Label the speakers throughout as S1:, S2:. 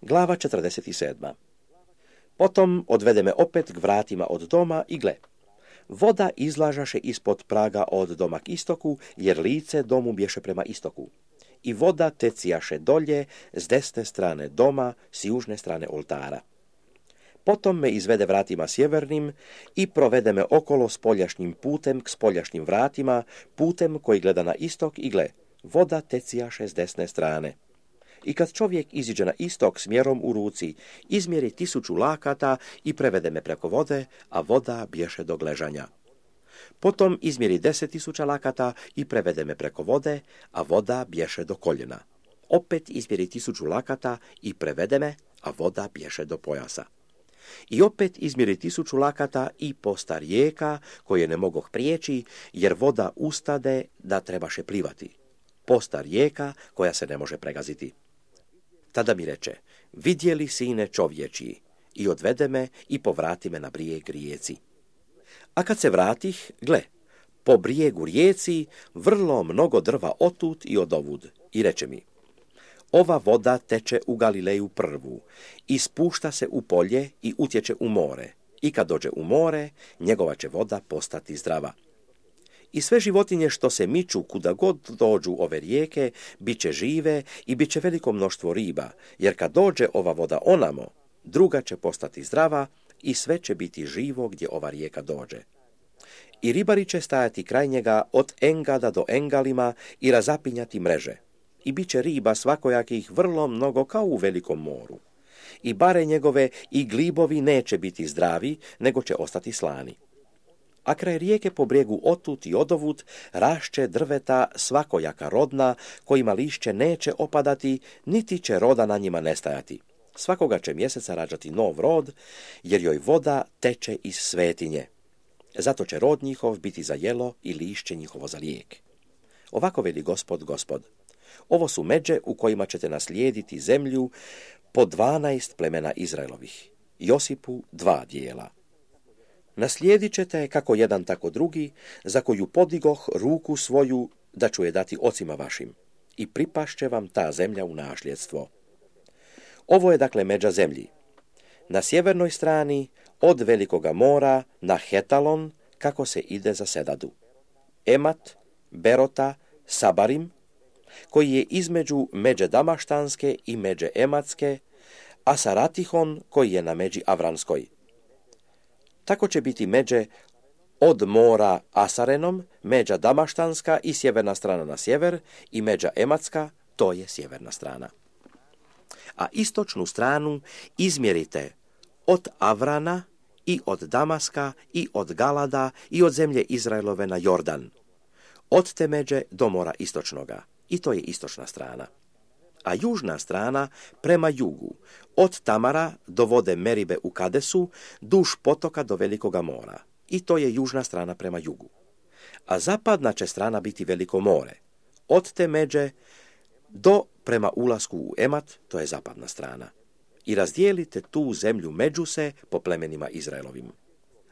S1: Glava 47. Potom odvede me opet k vratima od doma i gle, voda izlažaše ispod praga od doma k istoku, jer lice domu bješe prema istoku. I voda tecijaše dolje s desne strane doma, s južne strane oltara. Potom me izvede vratima sjevernim i provede me okolo spoljašnjim putem k spoljašnjim vratima, putem koji gleda na istok i gle, voda tecijaše s desne strane. I kad čovjek iziđe na istok s mjerom u ruci, izmjeri 1000 lakata i prevede me preko vode, a voda bješe do gležanja. Potom izmjeri 10.000 lakata i prevede me preko vode, a voda bješe do koljena. Opet izmjeri 1000 lakata i prevede me, a voda bješe do pojasa. I opet izmjeri 1000 lakata i posta rijeka, koje ne mogoh prijeći, jer voda ustade da trebaše plivati. Posta rijeka koja se ne može pregaziti. Tada mi reče, vidjeli sine čovječji, i odvede me i povrati me na brijeg rijeci. A kad se vratih, gle, po brijegu rijeci vrlo mnogo drva otut i odovud, i reče mi, ova voda teče u Galileju prvu, i spušta se u polje i utječe u more, i kad dođe u more, njegova će voda postati zdrava. I sve životinje što se miču kuda god dođu ove rijeke, bit će žive i bit će veliko mnoštvo riba, jer kad dođe ova voda onamo, druga će postati zdrava i sve će biti živo gdje ova rijeka dođe. I ribari će stajati kraj njega od Engada do Engalima i razapinjati mreže. I bit će riba svakojakih vrlo mnogo kao u velikom moru. I bare njegove i glibovi neće biti zdravi, nego će ostati slani. A kraj rijeke po brijegu otut i odovut rašće drveta svakojaka rodna, kojima lišće neće opadati, niti će roda na njima nestajati. Svakoga će mjeseca rađati nov rod, jer joj voda teče iz svetinje. Zato će rod njihov biti za jelo i lišće njihovo za lijek. Ovako veli Gospod. Ovo su međe u kojima ćete naslijediti zemlju po 12 plemena Izraelovih. Josipu 2 dijela. Naslijedit ćete kako jedan tako drugi, za koju podigoh ruku svoju da ću je dati ocima vašim. I pripašće vam ta zemlja u nasljedstvo. Ovo je dakle međa zemlji. Na sjevernoj strani od Velikoga mora na Hetalon, kako se ide za Sedadu. Emat, Berota, Sabarim, koji je između međe Damaštanske i međe Ematske, a Saratihon, koji je na međi Avranskoj. Tako će biti međe od mora Asarenom, međa Damaštanska i sjeverna strana na sjever, i međa Ematska, to je sjeverna strana. A istočnu stranu izmjerite od Avrana i od Damaska i od Galada i od zemlje Izraelove na Jordan. Od te međe do mora istočnoga, i to je istočna strana. A južna strana prema jugu, od Tamara do vode Meribe u Kadesu, duž potoka do Velikoga mora, i to je južna strana prema jugu. A zapadna će strana biti Veliko more, od te međe do prema ulasku u Emat, to je zapadna strana. I razdijelite tu zemlju među se po plemenima Izraelovim.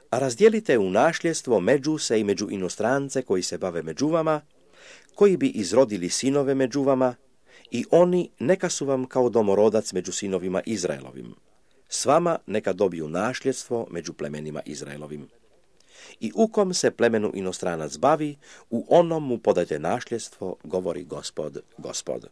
S1: A razdijelite u nasljedstvo među se i među inostrance koji se bave među vama, koji bi izrodili sinove među vama, i oni neka su vam kao domorodac među sinovima Izraelovim. S vama neka dobiju nasljedstvo među plemenima Izraelovim. I u kom se plemenu inostranac bavi, u onom mu podajte nasljedstvo, govori Gospod.